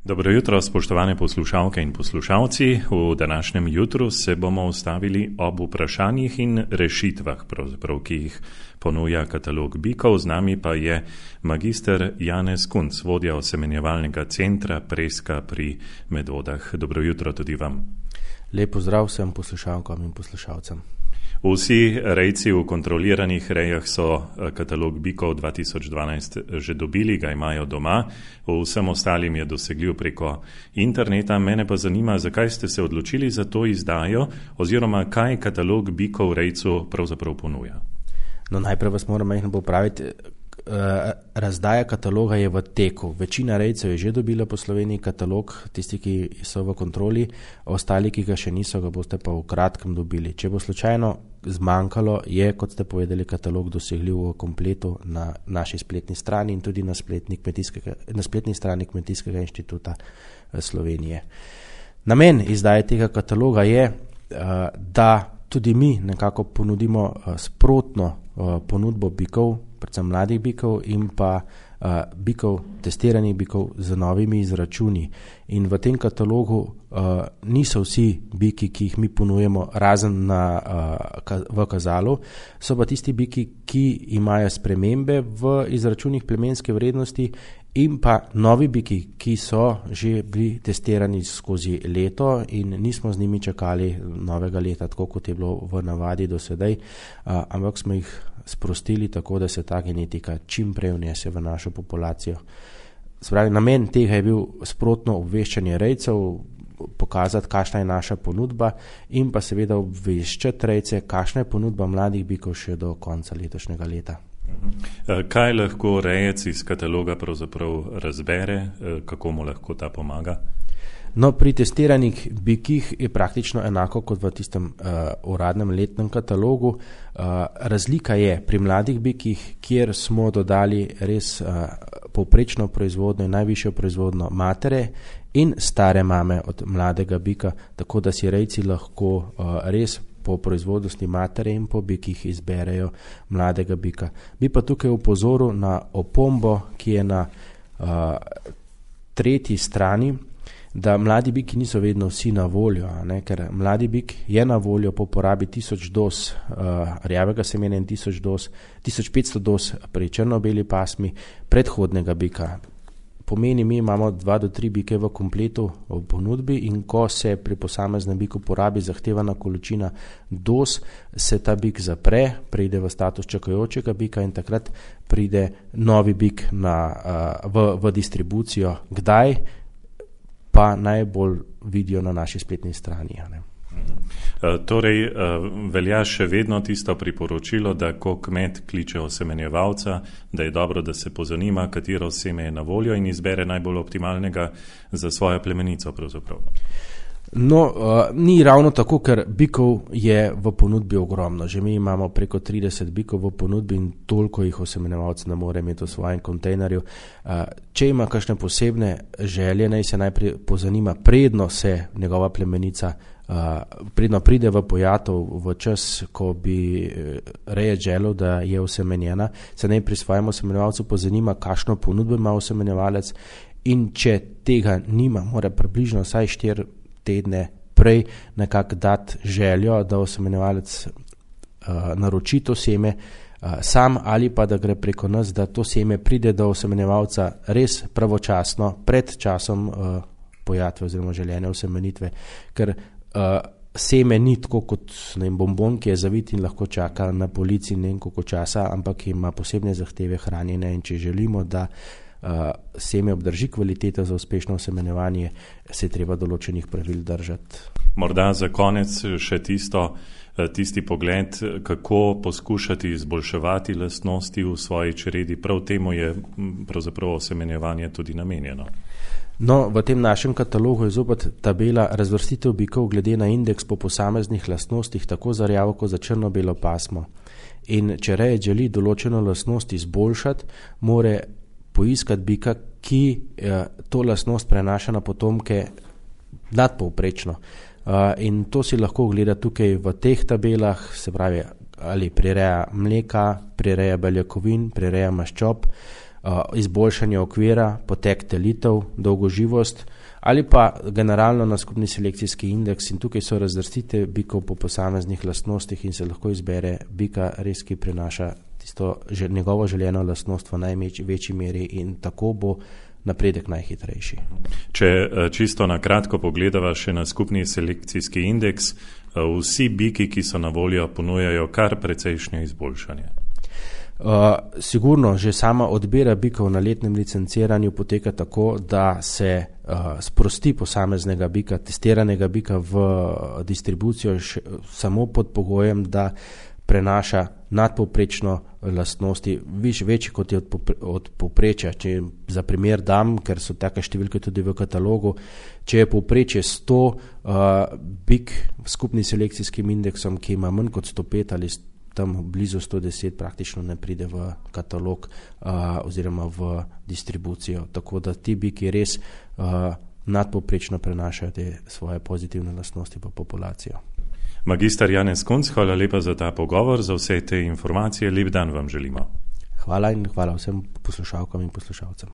Dobro jutro, spoštovane poslušalke in poslušalci. V današnjem jutru se bomo ustavili ob vprašanjih in rešitvah, ki jih ponuja katalog bikov. Z nami pa je magister Janez Kunc, vodja osemenjevalnega centra Preska pri Medvodah. Dobro jutro tudi vam. Lep pozdrav vsem poslušalkam in poslušalcem. Vsi rejci v kontroliranih rejah so katalog bikov 2012 že dobili, ga imajo doma. Vsem ostalim je dosegljiv preko interneta. Mene pa zanima, zakaj ste se odločili za to izdajo oziroma kaj katalog bikov rejcu pravzaprav ponuja. No, najprej vas moram majhno popraviti. Razdaja kataloga je v teku. Večina rejcev je že dobila po Sloveniji katalog, tisti, ki so v kontroli, ostali, ki ga še niso, ga boste pa v kratkem dobili. Če bo slučajno zmanjkalo, je, kot ste povedali, katalog dosegljiv v kompletu na naši spletni strani in tudi na spletni strani Kmetijskega inštituta Slovenije. Namen izdaje tega kataloga je, da tudi mi nekako ponudimo sprotno ponudbo bikov, predvsem mladih bikov in pa bikov, testiranih bikov z novimi izračuni. In v tem katalogu niso vsi biki, ki jih mi ponujemo, razen v kazalu, so pa tisti biki, ki imajo spremembe v izračunih plemenske vrednosti in pa novi biki, ki so že bili testirani skozi leto in nismo z njimi čakali novega leta, tako kot je bilo v navadi do sedaj, ampak smo jih sprostili tako, da se ta genetika čim prej vnese v našo populacijo. Spravi, namen tega je bil sprotno obveščanje rejcev, pokazati, kakšna je naša ponudba in pa seveda obveščati rejce, kakšna je ponudba mladih bikov še do konca letošnjega leta. Kaj lahko rejec iz kataloga pravzaprav razbere, kako mu lahko ta pomaga? No, pri testiranih bikih je praktično enako kot v tistem uradnem letnem katalogu. Razlika je pri mladih bikih, kjer smo dodali res povprečno proizvodnjo in najvišjo proizvodnjo matere in stare mame od mladega bika, tako da si rejci lahko res po proizvodnosti matere in po bikih izberejo mladega bika. Bi pa tukaj opozoril na opombo, ki je na tretji strani, da mladi biki niso vedno vsi na voljo, ker mladi bik je na voljo po porabi 1000 doz rjavega semena in 1500 doz pri črno-beli pasmi predhodnega bika. Pomeni, mi imamo 2 do 3 bike v kompletu v ponudbi in ko se pri posameznem biku porabi zahtevana količina doz, se ta bik zapre, pride v status čakajočega bika in takrat pride novi bik v distribucijo. Kdaj? Pa najbolj vidijo na naši spletni strani. Torej, velja še vedno tisto priporočilo, da ko kmet kliče osemenjevalca, da je dobro, da se pozanima, katero seme je na voljo in izbere najbolj optimalnega za svojo plemenico pravzaprav. No, ni ravno tako, ker bikov je v ponudbi ogromno. Že mi imamo preko 30 bikov v ponudbi in toliko jih osemenjevalc ne more imeti v svojem kontejnerju. Če ima kakšne posebne želje, naj se najprej pozanima, predno se njegova plemenica, predno pride v pojatov v čas, ko bi rejec želel, da je osemenjena, se naj pri svojem osemenjevalcu pozanima, kakšno ponudbo ima osemenjevalec in če tega nima, mora približno vsaj 4 tedne prej nekako dati željo, da osemenjevalec naroči to seme sam ali pa da gre preko nas, da to seme pride do osemenjevalca res pravočasno pred časom pojatve oziroma željene osemenitve, ker seme ni tako kot bombon, ki je zavit in lahko čaka na polici koliko časa, ampak ima posebne zahteve hranjenja in če želimo, da seme obdrži kvaliteto za uspešno osemenjevanje, se je treba določenih pravil držati. Morda za konec še tisti pogled, kako poskušati izboljševati lastnosti v svoji čredi. Prav temu je pravzaprav osemenjevanje tudi namenjeno. No, v tem našem katalogu je zopet tabela razvrstitev bikov glede na indeks po posameznih lastnostih, tako za rjavo kot za črno-belo pasmo. In če rejec želi določeno lastnost izboljšati, mora poiskati bika, ki to lastnost prenaša na potomke nadpovprečno. In to si lahko gleda tukaj v teh tabelah, se pravi, ali prireja mleka, prireja beljakovin, prireja maščob, izboljšanje okvira, potek telitev, dolgoživost ali pa generalno na skupni selekcijski indeks in tukaj so razvrstite bikov po posameznih lastnostih in se lahko izbere bika res, ki prinaša tisto njegovo željeno lastnost v največji meri in tako bo napredek najhitrejši. Če čisto na kratko pogledava še na skupni selekcijski indeks, vsi biki, ki so na voljo, ponujajo kar precejšnje izboljšanje. Sigurno, že sama odbira bikov na letnem licenciranju poteka tako, da se sprosti posameznega bika, testiranega bika v distribucijo samo pod pogojem, da prenaša nadpovprečno lastnosti, večji kot je od povprečja. Če za primer dam, ker so take številke tudi v katalogu, če je povprečje 100, bik v skupni selekcijskim indeksom, ki ima manj kot 105 ali tam blizu 110, praktično ne pride v katalog oziroma v distribucijo. Tako da ti biki res nadpovprečno prenašajo te svoje pozitivne lastnosti v populacijo. Magister Janez Kunc, hvala lepa za ta pogovor, za vse te informacije. Lep dan vam želimo. Hvala in hvala vsem poslušalkam in poslušalcem.